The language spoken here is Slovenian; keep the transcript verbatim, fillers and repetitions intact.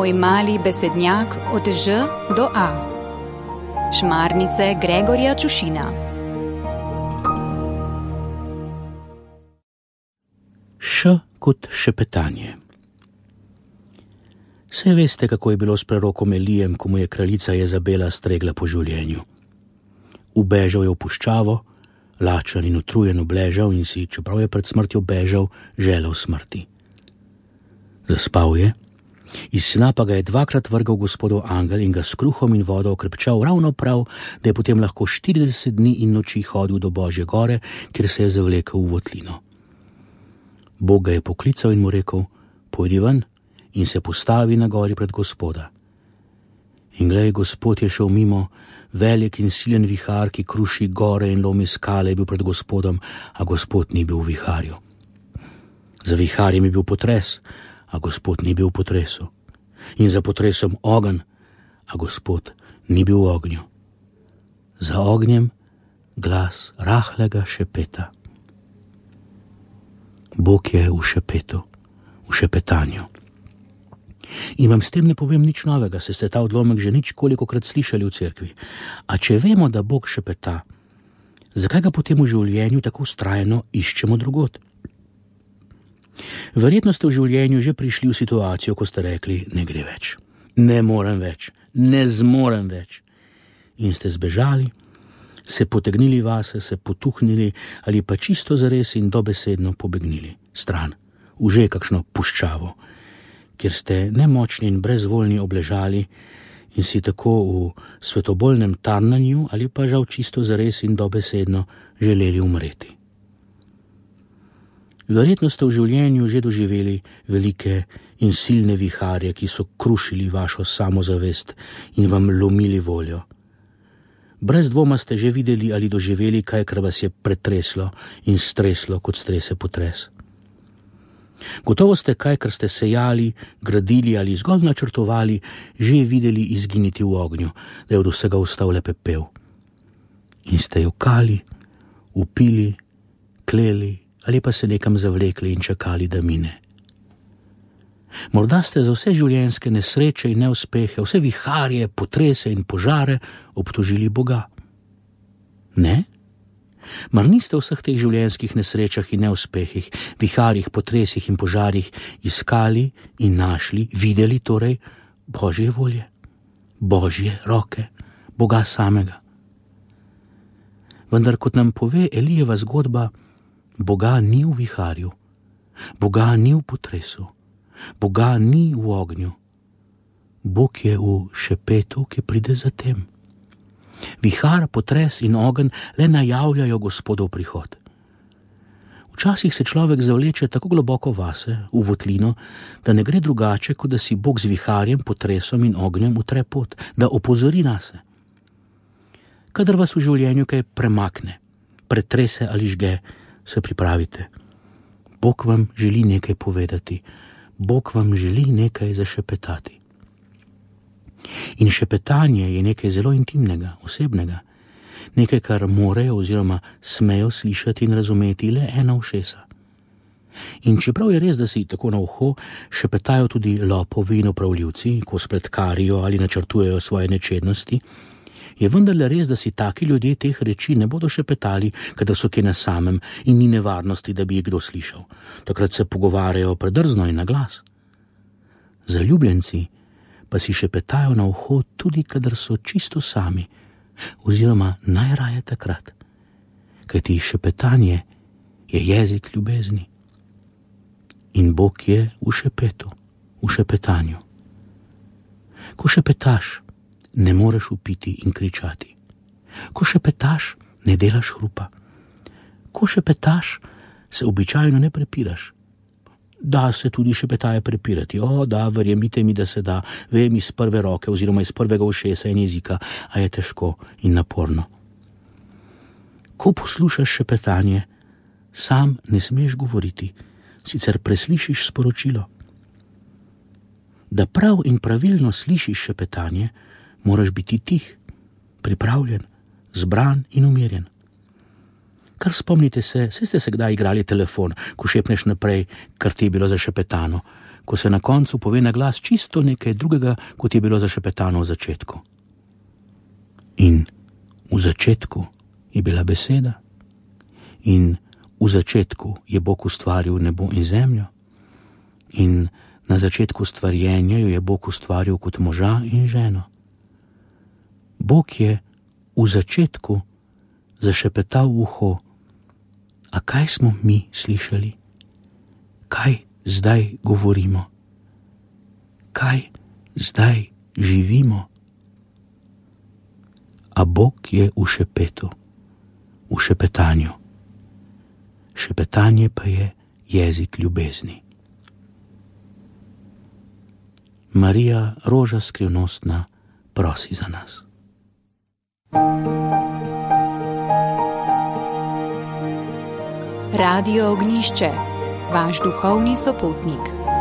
Moj mali besednjak od Ž do A. Šmarnice Gregorja Čušina. Š kot šepetanje. Saj veste, kako je bilo s prerokom Elijem, ko mu je kraljica Jezabela stregla po življenju. Ubežal je v puščavo, lačen in utrujen obležal in si, čeprav je pred smrtjo bežal, želel smrti. Zaspal je, iz sna pa ga je dvakrat vrgal Gospodov angel in ga s kruhom in vodo okrepčal ravno prav, da je potem lahko štirideset dni in noči hodil do Božje gore, kjer se je zavlekel v votlino. Bog ga je poklical in mu rekel: pojdi ven in se postavi na gori pred Gospoda. In glej, Gospod je šel mimo, velik in silen vihar, ki kruši gore in lomi skale, je bil pred Gospodom, a Gospod ni bil v viharju. Za viharjem je bil potres, a Gospod ni bil v potresu. In za potresom ogenj, a Gospod ni bil v ognju. Za ognjem glas rahlega šepeta. Bog je v šepetu, v šepetanju. In vam s tem ne povem nič novega, se ste ta odlomek že nič kolikokrat slišali v cerkvi. A če vemo, da Bog šepeta, zakaj ga potem v življenju tako vztrajno iščemo drugod? Verjetno ste v življenju že prišli v situacijo, ko ste rekli: ne gre več, ne morem več, ne zmorem več. In ste zbežali, se potegnili vase, se potuhnili ali pa čisto zares in dobesedno pobegnili stran, v že kakšno puščavo, kjer ste nemočni in brezvoljni obležali in si tako v svetobolnem tarnanju ali pa žal čisto zares in dobesedno želeli umreti. Verjetno ste v življenju že doživeli velike in silne viharje, ki so krušili vašo samozavest in vam lomili voljo. Brez dvoma ste že videli ali doživeli kaj, kar vas je pretreslo in streslo, kot strese potres. Gotovo ste kaj, kar ste sejali, gradili ali zgolj načrtovali, že videli izginiti v ognju, da je od vsega ostal le pepel. In ste jokali, upili, kleli ali pa se nekam zavlekli in čakali, da mine. Morda ste za vse življenjske nesreče in neuspehe, vse viharje, potrese in požare obtožili Boga. Ne? Mar niste v vseh teh življenjskih nesrečah in neuspehih, viharjih, potresih in požarih iskali in našli, videli torej Božje volje, Božje roke, Boga samega? Vendar, kot nam pove Elijeva zgodba, Boga ni v viharju, Boga ni v potresu, Boga ni v ognju. Bog je v šepetu, ki pride za tem. Vihar, potres in ogenj le najavljajo Gospodov prihod. Včasih se človek zavleče tako globoko vase, v votlino, da ne gre drugače, kot da si Bog z viharjem, potresom in ognjem utre pot, da opozori nase. Kadar vas v življenju kaj premakne, pretrese ali žge, se pripravite. Bog vam želi nekaj povedati, Bog vam želi nekaj zašepetati. In šepetanje je nekaj zelo intimnega, osebnega, nekaj, kar morejo oziroma smejo slišati in razumeti le ena ušesa. In čeprav je res, da si tako na uho šepetajo tudi lopovi in opravljivci, ko spletkarijo ali načrtujejo svoje nečednosti, je vendarle res, da si taki ljudje teh reči ne bodo šepetali, kadar so kje na samem in ni nevarnosti, da bi jih kdo slišal. Takrat se pogovarjajo predrzno in na glas. Zaljubljenci pa si šepetajo na uho tudi, kadar so čisto sami, oziroma najraje takrat, kajti šepetanje je jezik ljubezni. In Bog je v šepetu, v šepetanju. Ko šepetaš, ne moreš upiti in kričati. Ko šepetaš, ne delaš hrupa. Ko šepetaš, se običajno ne prepiraš. Da se tudi šepetaje prepirati. O, da, verjemite mi, da se da. Vem iz prve roke oziroma iz prvega ušesa in jezika, a je težko in naporno. Ko poslušaš šepetanje, sam ne smeš govoriti, sicer preslišiš sporočilo. Da prav in pravilno slišiš šepetanje, moraš biti tih, pripravljen, zbran in umirjen. Kar spomnite se, saj ste se kdaj igrali telefon, ko šepneš naprej, kar ti je bilo zašepetano, ko se na koncu pove na glas čisto nekaj drugega, kot je bilo zašepetano v začetku. In v začetku je bila beseda, in v začetku je Bog ustvaril nebo in zemljo, in na začetku stvarjenja jo je Bog ustvaril kot moža in ženo. Bog je v začetku zašepetal v uho, a kaj smo mi slišali? Kaj zdaj govorimo? Kaj zdaj živimo? A Bog je v šepetu, v šepetanju. Šepetanje pa je jezik ljubezni. Marija, roža skrivnostna, prosi za nas. Radio Ognišče, vaš duhovni sopotnik.